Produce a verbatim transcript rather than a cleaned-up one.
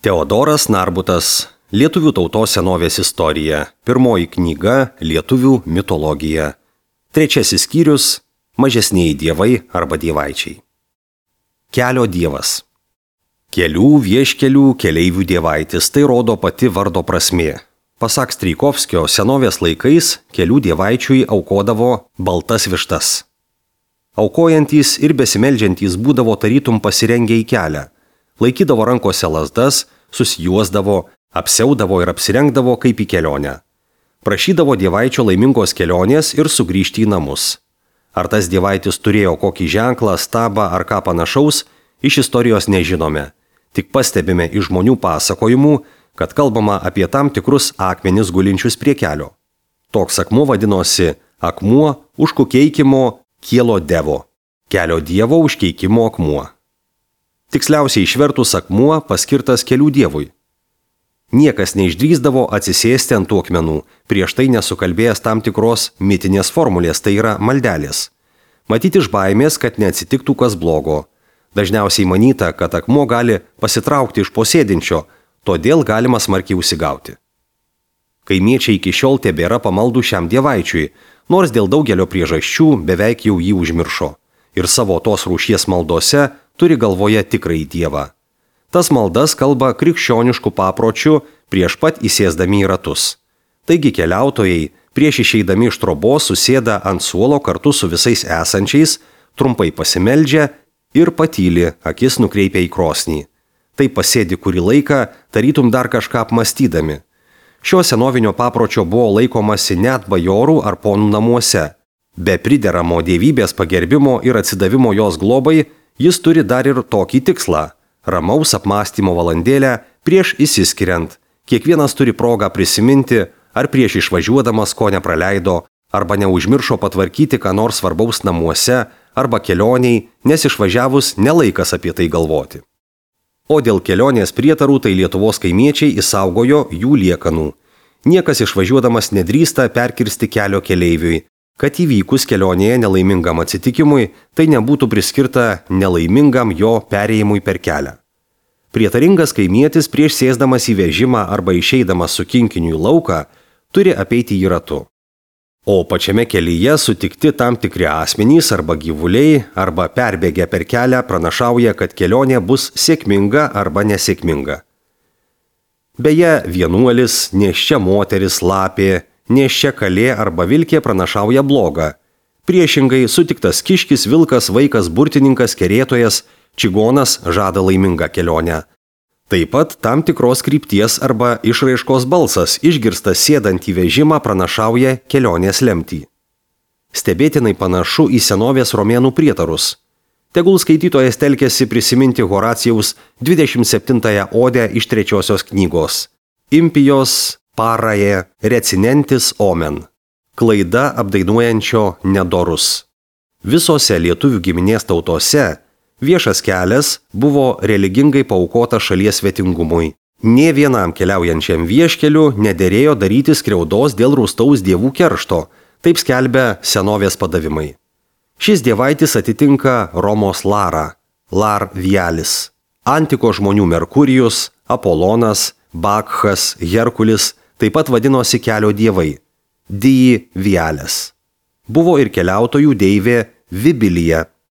Teodoras Narbutas, Lietuvių tautos senovės istorija, pirmoji knyga Lietuvių mitologija. Trečiasis skyrius – mažesnieji dievai arba dievaičiai. Kelio dievas. Kelių, vieškelių, keleivių dievaitis – tai rodo pati vardo prasmė. Pasak Strijkovskio, senovės laikais kelių dievaičiui aukodavo baltas vištas. Aukojantys ir besimeldžiantys būdavo tarytum pasirengę į kelią. Laikydavo rankose lazdas, susijuosdavo, apsiaudavo ir apsirengdavo kaip į kelionę. Prašydavo dievaičio laimingos kelionės ir sugrįžti į namus. Ar tas dievaitis turėjo kokį ženklą, stabą ar ką panašaus, iš istorijos nežinome. Tik pastebime iš žmonių pasakojimų, kad kalbama apie tam tikrus akmenis gulinčius prie kelio. Toks akmuo vadinosi akmuo užkukeikimo kielo devo, kelio dievo užkeikimo akmuo. Tiksliausiai išvertus akmuo paskirtas kelių dievui. Niekas neišdrįsdavo atsisėsti ant tų akmenų, prieš tai nesukalbėjęs tam tikros mitinės formulės, tai yra maldelės. Matyti iš baimės, kad neatsitiktų kas blogo. Dažniausiai manyta, kad akmuo gali pasitraukti iš posėdinčio, todėl galima smarkiai užsigauti. Kaimiečiai iki šiol tebėra pamaldų šiam dievaičiui, nors dėl daugelio priežasčių beveik jau jį užmiršo. Ir savo tos rūšies maldose turi galvoje tikrąjį dievą. Tas maldas kalba krikščioniškų papročių prieš pat įsėsdami į ratus. Taigi keliautojai prieš išeidami iš trobos susėda ant suolo kartu su visais esančiais, trumpai pasimeldžia ir patyli, akis nukreipia į krosnį. Tai pasėdi kurį laiką, tarytum dar kažką apmastydami. Šio senovinio papročio buvo laikomasi net bajorų ar ponų namuose. Be prideramo dievybės pagerbimo ir atsidavimo jos globai, jis turi dar ir tokį tikslą – ramaus apmąstymo valandėlę prieš išsiskiriant. Kiekvienas turi progą prisiminti, ar prieš išvažiuodamas ko nepraleido, arba neužmiršo patvarkyti ką nors svarbaus namuose, arba kelioniai, nes išvažiavus nelaikas apie tai galvoti. O dėl kelionės prietarų tai Lietuvos kaimiečiai išsaugojo jų liekanų. Niekas išvažiuodamas nedrįsta perkirsti kelio keleiviui, kad įvykus kelionėje nelaimingam atsitikimui, tai nebūtų priskirta nelaimingam jo perėjimui per kelią. Prietaringas kaimietis prieš sėsdamas į vežimą arba išeidamas su kinkiniu į lauką, turi apeiti jį ratu. O pačiame kelyje sutikti tam tikri asmenys arba gyvuliai arba perbėgę per kelią pranašauja, kad kelionė bus sėkminga arba nesėkminga. Beje, vienuolis, nėščia moteris, lapė, nėščia kalė arba vilkė pranašauja blogą. Priešingai sutiktas kiškis, vilkas, vaikas, burtininkas, kerėtojas, čigonas žada laimingą kelionę. Taip pat tam tikros krypties arba išraiškos balsas išgirstas sėdant į vežimą pranašauja kelionės lemtį. Stebėtinai panašu į senovės romėnų prietarus. Tegul skaitytojas telkiasi prisiminti Horacijaus dvidešimt septintąją odę iš trečiosios knygos. Impijos paraje recinentis omen. Klaida apdainuojančio nedorus. Visose lietuvių giminės tautose viešas kelias buvo religingai paaukota šalies svetingumui. Nė vienam keliaujančiam vieškeliu nederėjo daryti skriaudos dėl rūstaus dievų keršto, taip skelbia senovės padavimai. Šis dievaitis atitinka Romos Larą, Lar Vialis, antikos žmonių Merkurijus, Apolonas, Bakhas, Herkulis, taip pat vadinosi kelio dievai – Dii Viales. Buvo ir keliautojų deivė Vibilija,